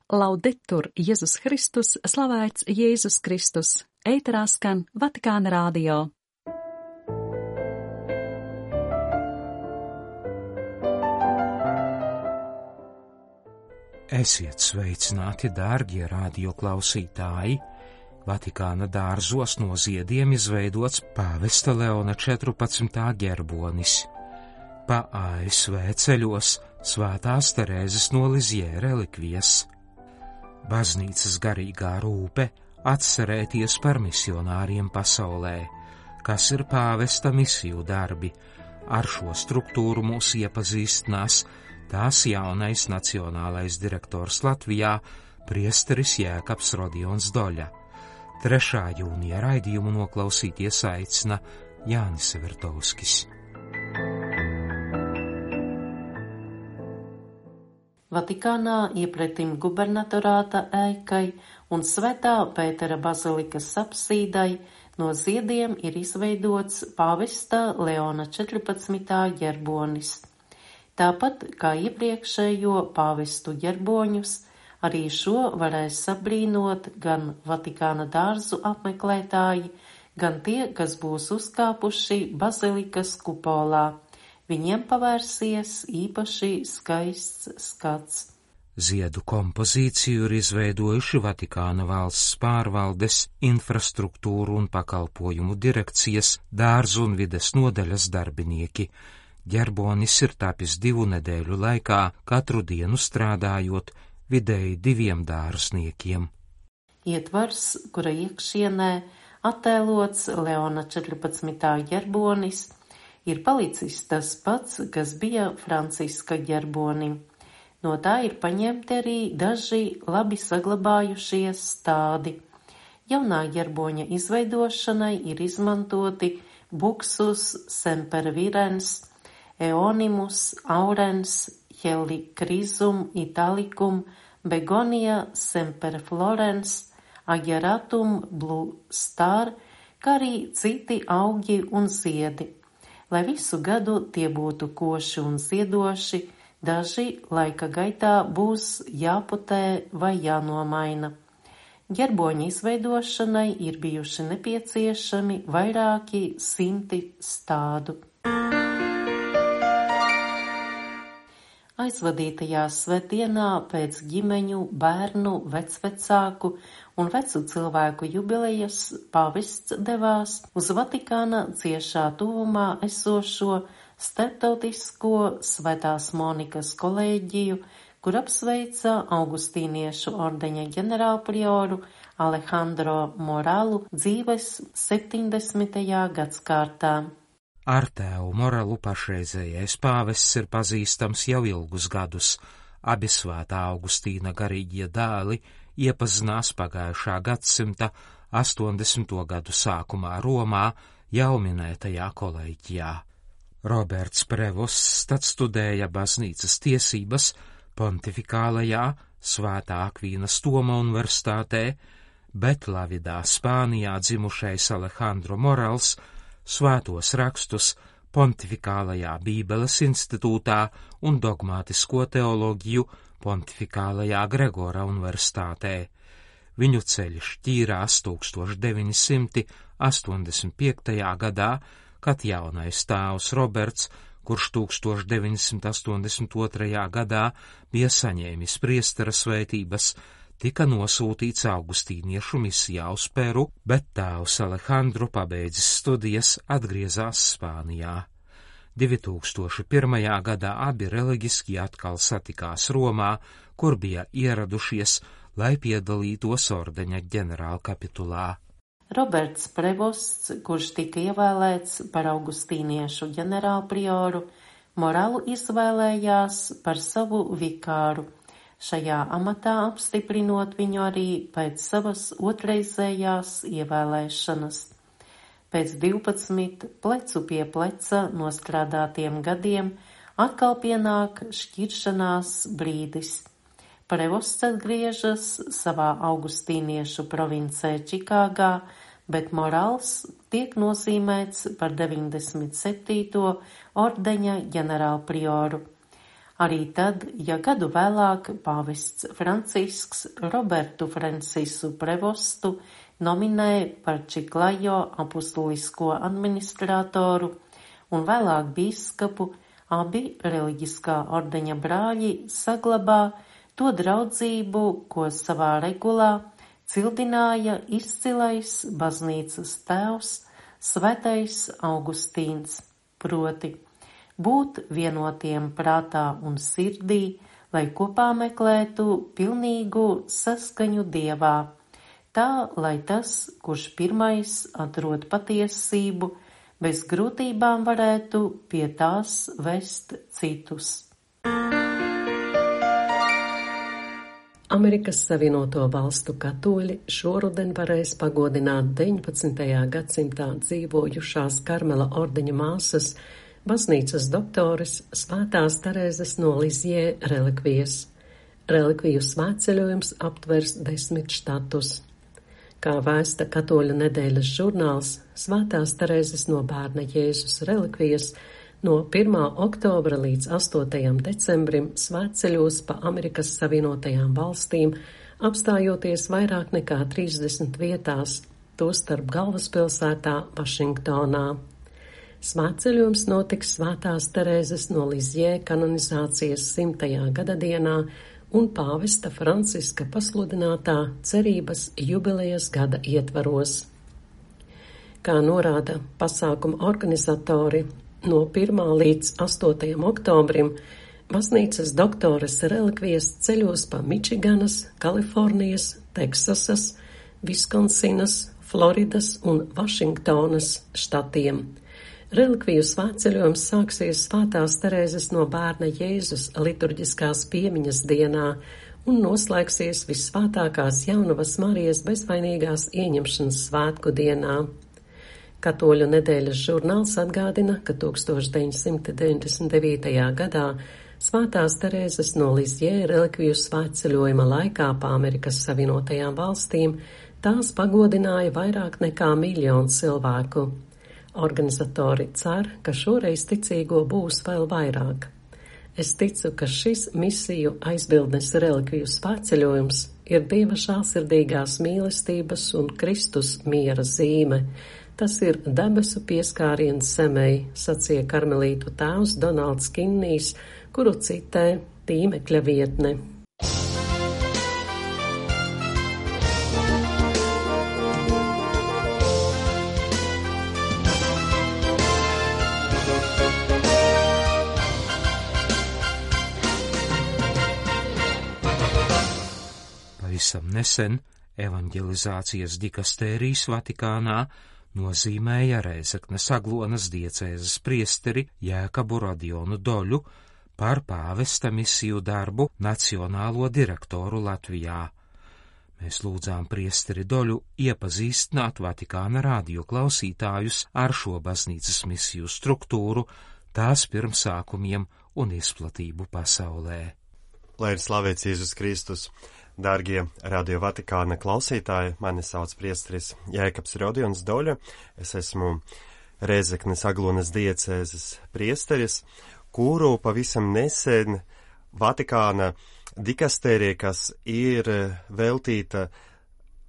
Laudetur Jēzus Kristus, slavēts Jēzus Kristus, ēterā skan Vatikāna radio. Esiet sveicināti, dārgie radioklausītāji! Vatikāna dārzos no ziediem izveidots pāvesta Leona 14. ģerbonis. Pa ASV ceļos Svētās Terēzes no Lizjē relikvijas. Baznīcas garīgā rūpe atcerēties par misionāriem pasaulē, kas ir pāvesta misiju darbi. Ar šo struktūru mūs iepazīstinās tās jaunais nacionālais direktors Latvijā, priesteris Jēkabs Rodions Doļa. 3. jūnija raidījumu noklausīties aicina Jānis Vertovskis. Vatikānā iepretim gubernatorāta ēkai un Svētā Pētera bazilikas apsīdai no ziediem ir izveidots pāvesta Leona 14. ģerbonis. Tāpat kā iepriekšējo pāvestu ģerboņus, arī šo varēs sabrīnot gan Vatikāna dārzu apmeklētāji, gan tie, kas būs uzkāpuši bazilikas kupolā. Viņiem pavērsies īpaši skaists skats. Ziedu kompozīciju ir izveidojuši Vatikāna valsts pārvaldes, infrastruktūru un pakalpojumu direkcijas, dārzu un vides nodaļas darbinieki. Ģerbonis ir tapis 2 nedēļu laikā, katru dienu strādājot vidēji 2 dārzniekiem. Ietvars, kura iekšienē attēlots Leona 14. ģerbonis, ir palicis tas pats, kas bija Franciska ģerbonim. No tā ir paņemti arī daži labi saglabājušies stādi. Jaunā ģerboņa izveidošanai ir izmantoti Buxus sempervirens, Eonimus aurens, Helichrysum italicum, Begonia semperflorens, Ageratum blue star, kā arī citi augi un ziedi. Lai visu gadu tie būtu koši un ziedoši, daži laika gaitā būs jāputē vai jānomaina. Ģerboņa izveidošanai ir bijuši nepieciešami vairāki 100 stādu. Aizvadītajā svētdienā pēc ģimeņu, bērnu, vecvecāku un vecu cilvēku jubilejas pāvests devās uz Vatikāna ciešā tuvumā esošo starptautisko Svētās Monikas kolēģiju, kur apsveica augustīniešu ordeņa ģenerālprioru Alejandro Moralu dzīves 70. gadskārtā. Ar tēvu Moralu pašreizējais pāvests ir pazīstams jau ilgus gadus. Abi Svētā Augustīna garīgie dēli iepazinās pagājušā gadsimta 80. gadu sākumā Romā jau minētajā kolēģijā. Roberts Prevosts tad studēja baznīcas tiesības Pontifikālajā Svētā Akvīnas Toma universitātē, bet Lavidā, Spānijā dzimušais Alejandro Morals svētos rakstus Pontifikālajā Bībeles institūtā un dogmātisko teoloģiju Pontifikālajā Gregora universitātē. Viņu ceļš ķīrās 1985. gadā, kad jaunais tēvs Roberts, kurš 1982. gadā bija saņēmis priestera svētības, tika nosūtīts augustīniešu misijā uz Peru, bet tēvs Alejandro pabeidzis studijas atgriezās Spānijā. 2001. gadā abi reliģiski atkal satikās Romā, kur bija ieradušies, lai piedalītos ordeņa ģenerālkapitulā. Roberts Prevosts, kurš tika ievēlēts par augustīniešu ģenerālprioru, Moralu izvēlējās par savu vikāru, šajā amatā apstiprinot viņu arī pēc savas otrreizējās ievēlēšanas. Pēc 12 plecu pie pleca nostrādātiem gadiem atkal pienāk šķiršanās brīdis. Prevosts atgriežas savā augustīniešu provincē Čikāgā, bet Morals tiek nozīmēts par 97. ordeņa ģenerālprioru. Arī tad, ja gadu vēlāk pāvests Francisks Robertu Francisu Prevostu nominēja par Čiklajo apustulisko administratoru un vēlāk bīskapu, abi reliģiskā ordeņa brāļi saglabā to draudzību, ko savā regulā cildināja izcilais baznīcas tēvs Svētais Augustīns, proti būt vienotiem prātā un sirdī, lai kopā meklētu pilnīgu saskaņu Dievā, tā, lai tas, kurš pirmais atrod patiesību, bez grūtībām varētu pie tās vest citus. Amerikas Savienoto Valstu katoļi šoruden varēs pagodināt 19. gadsimtā dzīvojušās Karmela ordeņa māsas, baznīcas doktores Svētās Terēzes no Lizjē relikvijas. Relikviju svētceļojums aptvers 10 štatus. Kā vēsta Katoļu nedēļas žurnāls, Svētās Terēzes no Bērna Jēzus relikvijas no 1. oktobra līdz 8. decembrim svētceļos pa Amerikas Savienotajām valstīm, apstājoties vairāk nekā 30 vietās, tostarp galvaspilsētā Vašingtonā. Svētceļojums notiks Svētās Terēzes no Lizjē kanonizācijas 100. gadadienā un pāvesta Franciska pasludinātā cerības jubilejas gada ietvaros. Kā norāda pasākuma organizatori, no 1. līdz 8. oktobrim baznīcas doktoras relikvijas ceļos pa Mičiganas, Kalifornijas, Teksasas, Viskonsinas, Floridas un Vašingtonas štatiem. Relikviju svētceļojums sāksies Svētās Terēzes no Bērna Jēzus liturģiskās piemiņas dienā un noslēgsies Vissvētākās Jaunavas Marijas bezvainīgās ieņemšanas svētku dienā. Katoļu nedēļas žurnāls atgādina, ka 1999. gadā Svētās Terēzes no Lizjē relikviju svētceļojuma laikā pa Amerikas Savienotajām valstīm tās pagodināja vairāk nekā 1 miljonu cilvēku. Organizatori cer, ka šoreiz ticīgo būs vēl vairāk. Es ticu, ka šis misiju aizbildnes relikviju svētceļojums ir Dieva žēlsirdīgās mīlestības un Kristus miera zīme. Tas ir debesu pieskāriens zemei, sacīja karmelītu tēvs Donalds Kinnijs, kuru citē tīmekļa vietne. Pavisam nesen evanģelizācijas dikastērijas Vatikānā nozīmēja Rēzeknes Aglonas diecēzes priesteri Jēkabu Rodionu Doļu par pāvesta misiju darbu nacionālo direktoru Latvijā. Mēs lūdzām priesteri Doļu iepazīstināt Vatikāna radio klausītājus ar šo baznīcas misiju struktūru, tās pirmsākumiem un izplatību pasaulē. Lai ir slavēts Jēzus Kristus! Dārgie Radio Vatikāna klausītāji, mani sauc priesteris Jēkabs Rodions Doļa, es esmu Rēzeknes Aglonas diecēzes priesteris, kuru pavisam nesen Vatikāna dikastērija, kas ir veltīta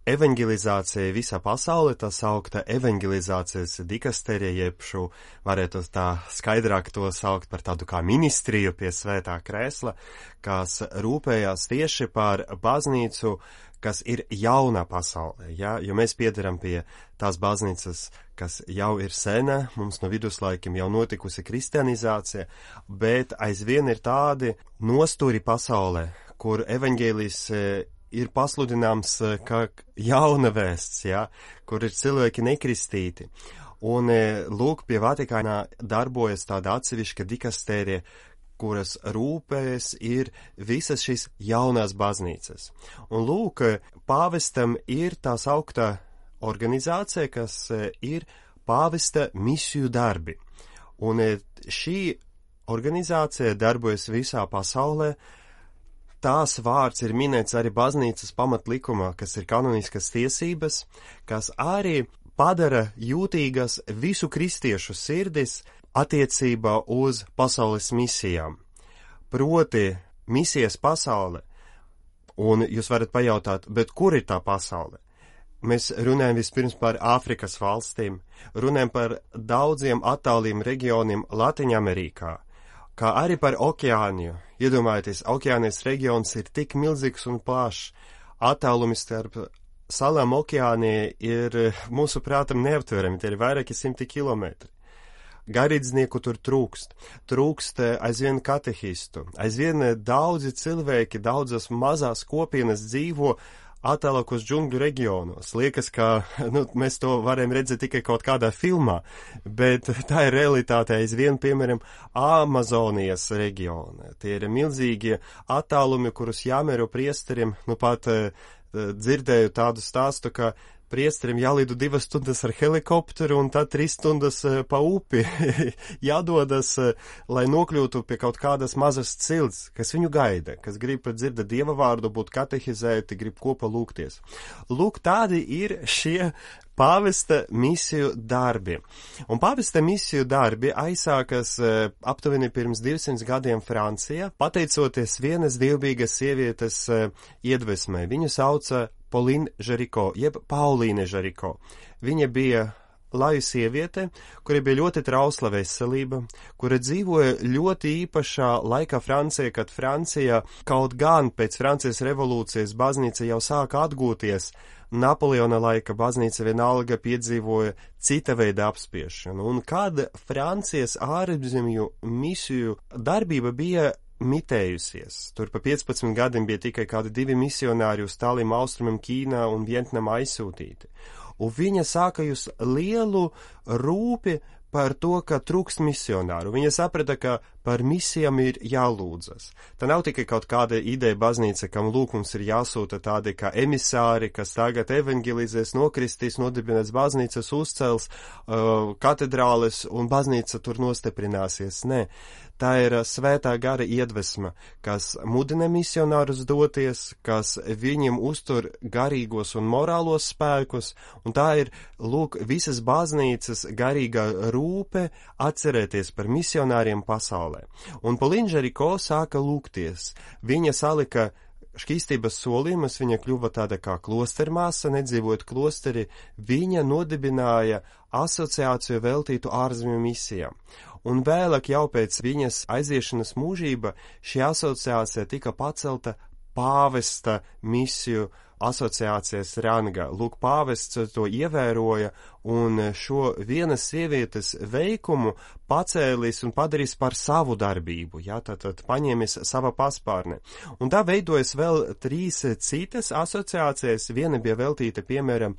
evanģelizācija visā pasaulē, tā saukta evanģelizācijas dikastērija, jeb šo varētu tā skaidrāk to saukt par tādu kā ministriju pie svētā krēsla, kas rūpējās tieši par baznīcu, kas ir jaunā pasaulē, ja? Jo mēs piederam pie tās baznīcas, kas jau ir sena, mums no viduslaikiem jau notikusi kristianizācija, bet aizvien ir tādi nostūri pasaulē, kur evaņģēlijs ir pasludināms kā jauna vēsts, ja, kur ir cilvēki nekristīti. Un lūk, pie Vatikānā darbojas tāda atsevišķa dikastērija, kuras rūpējas ir visas šīs jaunās baznīcas. Un lūk, pāvestam ir tā sauktā organizācija, kas ir pāvesta misiju darbi. Un šī organizācija darbojas visā pasaulē. Tās vārds ir minēts arī baznīcas pamatlikumā, kas ir kanoniskas tiesības, kas arī padara jūtīgas visu kristiešu sirdis attiecībā uz pasaules misijām. proti misijas pasaule. Un jūs varat pajautāt, bet kur ir tā pasaule? Mēs runājam vispirms par Āfrikas valstīm, runājam par daudziem attāliem reģioniem Latviņamerikā, kā arī par okeāniju. Iedomājieties, okeānijas reģions ir tik milzīgs un plašs. Attālumi starp salām okeānijai ir mūsu prātam neaptverami, tie ir vairāki 100 kilometri. Garīdznieku tur trūkst aizvien katehistu, aizvien daudzi cilvēki, daudzas mazās kopienas dzīvo attālākos džungļu reģionos. Liekas, ka mēs to varam redzēt tikai kaut kādā filmā, bet tā ir realitāte aizvien, piemēram, Amazonijas reģiona. Tie ir milzīgie attālumi, kurus jāmēro priesterim. Pat dzirdēju tādu stāstu, ka priesterim jālido 2 stundas ar helikopteru un tad 3 stundas pa upi jādodas, lai nokļūtu pie kaut kādas mazas cilts, kas viņu gaida, kas grib dzirdēt Dieva vārdu, būt katehizēti, grib kopā lūgties. Lūk, tādi ir šie pāvesta misiju darbi. Un pāvesta misiju darbi aizsākas aptuveni pirms 200 gadiem Francijā, pateicoties vienas dievbijīgas sievietes iedvesmai. Viņu sauca Pauline Jaricot, jeb Paulīne Jaricot. Viņa bija laju sieviete, kura bija ļoti trausla veselība, kura dzīvoja ļoti īpašā laikā Francijā, kad Francija kaut gan pēc Francijas revolūcijas baznīca jau sāka atgūties. Napoleona laika baznīca vienalga piedzīvoja cita veida apspiešanu, un kad Francijas ārzemju misiju darbība bija mitējusies. Tur pa 15 gadiem bija tikai kādi 2 misionāri uz tāliem austrumiem Ķīnā un Vietnamā aizsūtīti. Un viņa sāka jūs lielu rūpi par to, ka trūkst misionāru. Viņa saprata, ka par misijām ir jālūdzas. Tā nav tikai kaut kāda ideja baznīca, kam lūkums ir jāsūta tādi kā emisāri, kas tagad evangelizēs, nokristīs, nodibinās baznīcas, uzcels katedrāles un baznīca tur nostiprināsies. Nē, tā ir svētā gara iedvesma, kas mudina misionārus doties, kas viņiem uztur garīgos un morālos spēkus, un tā ir, lūk, visas baznīcas garīgā rūpe atcerēties par misionāriem pasaulē. Un Pauline Jaricot sāka lūgties. Viņa salika šķīstības solījumus, viņa kļuva tāda kā klostermāsa, nedzīvojot klosteri, viņa nodibināja asociāciju veltītu ārzemju misijām. Un vēlāk jau pēc viņas aiziešanas mūžība šī asociācija tika pacelta pāvesta misiju asociācijas rangā. Lūk, pāvests to ievēroja un šo vienas sievietes veikumu pacēlis un padarīs par savu darbību, tātad paņēmis sava paspārne. Un tā veidojas vēl 3 citas asociācijas. Viena bija veltīta, piemēram,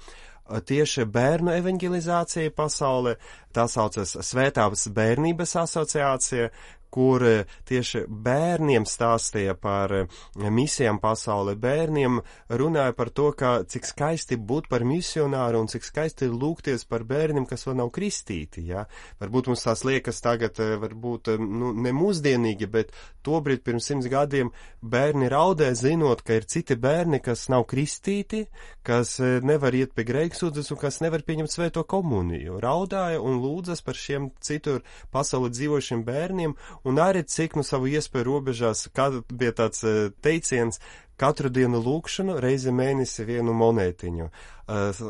tieši bērnu evangelizācija pasaulē, tā saucas Svētās bērnības asociācija, kur tieši bērniem stāstīja par misijām pasaulē, bērniem runāja par to, cik skaisti būt par misionāru un cik skaisti lūgties par bērniem, kas vēl nav kristīti. Varbūt mums tās liekas tagad, varbūt ne mūsdienīgi, bet tobrīd pirms 100 gadiem bērni raudē, zinot, ka ir citi bērni, kas nav kristīti, kas nevar iet pie grēksūdzes un kas nevar pieņemt svēto komuniju. Raudāja un lūdzas par šiem citur pasaulē dzīvošiem bērniem, un arī cik savu iespēju robežās, kad bija tāds teiciens, katru dienu lūkšanu, reizi mēnesi 1 monētiņu.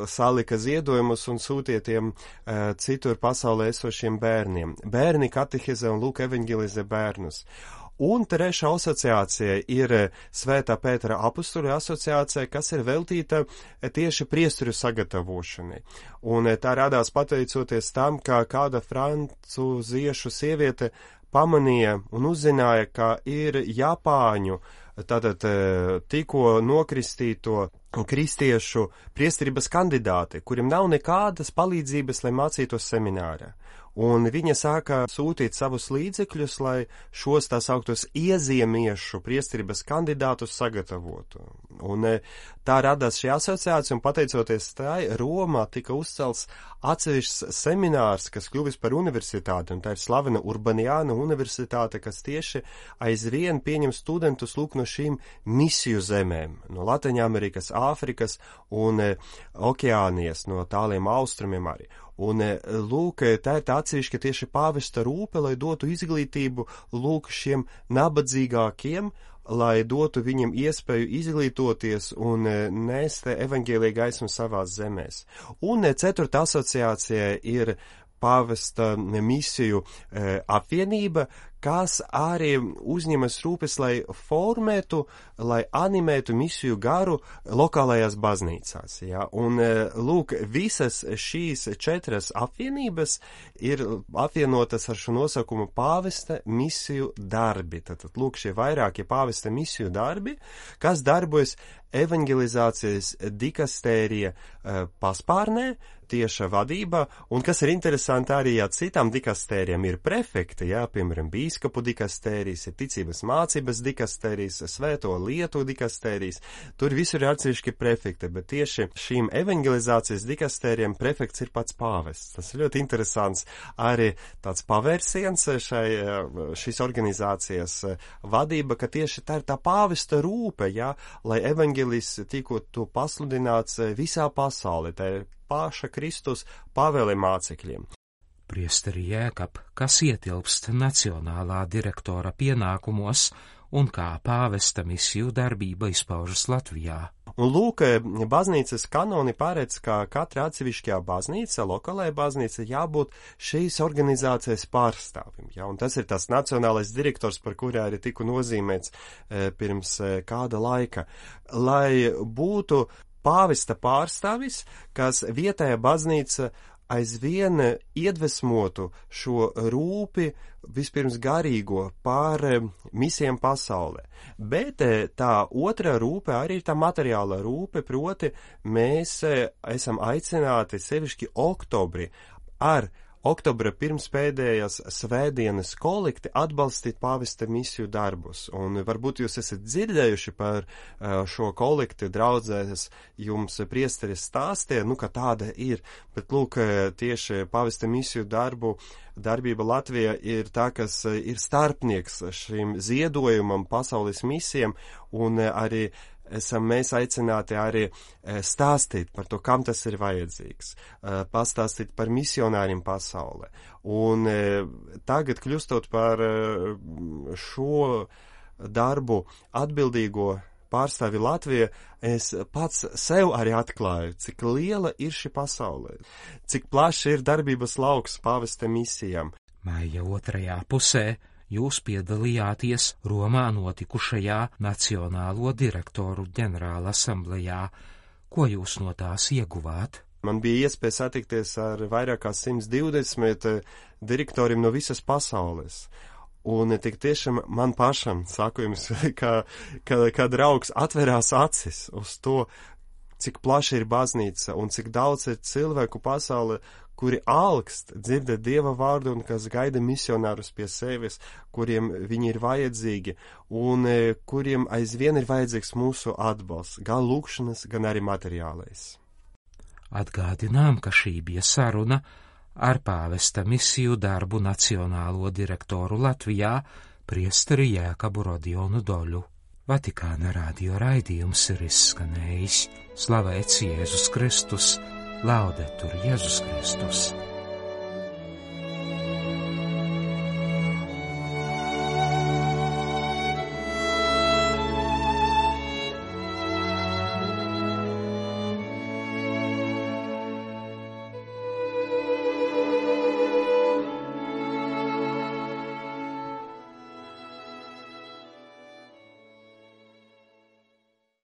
Salika ziedojumus un sūtietiem citur pasaulē esošiem bērniem. Bērni katehizē un lūk evangelizē bērnus. Un trešā asociācija ir Svētā Pētera apustuļu asociācija, kas ir veltīta tieši priesteru sagatavošanai. Un tā radās pateicoties tam, ka kāda francūziešu sieviete pamanīja un uzzināja, ka ir Japāņu, tātad tikko nokristīto kristiešu priesterības kandidāti, kuriem nav nekādas palīdzības, lai mācītos seminārā. Un viņa sāka sūtīt savus līdzekļus, lai šos tā sauktos iezīmiešu priesterības kandidātus sagatavotu. Un tā radās šī asociācija, un pateicoties tai, Romā tika uzcelts atsevišķs seminārs, kas kļuvis par universitāti, un tā ir slavena Urbaniāna universitāte, kas tieši aizvien pieņem studentus lūk no šīm misiju zemēm, no Latviņamerikas, Āfrikas un Okeānijas, no tāliem austrumiem arī. Un, lūk, tā ir tā atsevišķa tieši pāvesta rūpe, lai dotu izglītību, lūk, šiem nabadzīgākiem, lai dotu viņiem iespēju izglītoties un nest evaņģēlija gaismu savās zemēs. Un 4. asociācija ir pāvesta misiju apvienība, kas arī uzņemas rūpes, lai formētu, lai animētu misiju garu lokālajās baznīcās. Ja? Un, lūk, visas šīs 4 apvienības ir apvienotas ar šo nosaukumu pāvesta misiju darbi. Tātad, lūk, šie vairākie pāvesta misiju darbi, kas darbojas evangelizācijas dikastērija paspārnē, tieša vadībā, un kas ir interesanti arī, ja citām dikastērijām ir prefekti, jā, piemēram, bīskapu dikastērijas, ir ticības mācības dikastērijas, svēto lietu dikastērijas, tur visur ir atsevišķi prefekti, bet tieši šīm evangelizācijas dikastērijām prefekts ir pats pāvests. Tas ir ļoti interesants arī tāds pavērsiens šīs organizācijas vadība, ka tieši tā ir tā pāvesta rūpe, jā, lai evaņģelis tiktu pasludināts visā pasaulē, tā ir paša Kristus pavēle mācekļiem. Priesteri Jēkab, kas ietilpst nacionālā direktora pienākumos un kā pāvesta misiju darbība izpaužas Latvijā. Un lūk, baznīcas kanoni paredz, ka katra atsevišķajā baznīca, lokālajā baznīca, jābūt šīs organizācijas pārstāvim. Ja? Un tas ir tas nacionālais direktors, par kurā arī tiku nozīmēts pirms kāda laika, lai būtu pāvesta pārstāvis, kas vietējā baznīca aizvien iedvesmotu šo rūpi, vispirms garīgo pār misijām pasaulē. Bet tā otra rūpe arī ir tā materiāla rūpe, proti mēs esam aicināti sevišķi oktobri ar oktobra pirmspēdējās svētdienas kolekti atbalstīt pāvesta misiju darbus. Un varbūt jūs esat dzirdējuši par šo kolekti draudzēs, jums priesteris stāstīja, ka tāda ir, bet lūk, tieši pāvesta misiju darbība Latvijā ir tā, kas ir starpnieks šim ziedojumam pasaules misijām, un arī esam mēs aicināti arī stāstīt par to, kam tas ir vajadzīgs, pastāstīt par misionāriem pasaulē. Un tagad, kļūstot par šo darbu atbildīgo pārstāvi Latvijā, es pats sev arī atklāju, cik liela ir šī pasaulē, cik plaši ir darbības lauks pāvesta misijām. Maija otrajā pusē jūs piedalījāties Romā notikušajā Nacionālo direktoru ģenerāla asamblejā. Ko jūs no tās ieguvāt? Man bija iespēja satikties ar vairāk kā 120 direktoriem no visas pasaules. Un tik tiešām man pašam, saku jums, ka draugs atverās acis uz to, cik plaša ir baznīca un cik daudz ir cilvēku pasaulē, kuri alkst dzirdēt Dieva vārdu un kas gaida misionārus pie sevis, kuriem viņi ir vajadzīgi un kuriem aizvien ir vajadzīgs mūsu atbalsts, gan lūkšanas, gan arī materiālais. Atgādinām, ka šī bija saruna ar pāvesta misiju darbu nacionālo direktoru Latvijā, priesteri Jēkabu Rodionu Doļu. Vatikāna radio raidījums ir izskanējis. Slavēts Jēzus Kristus! Laudetur Jēzus Kristus!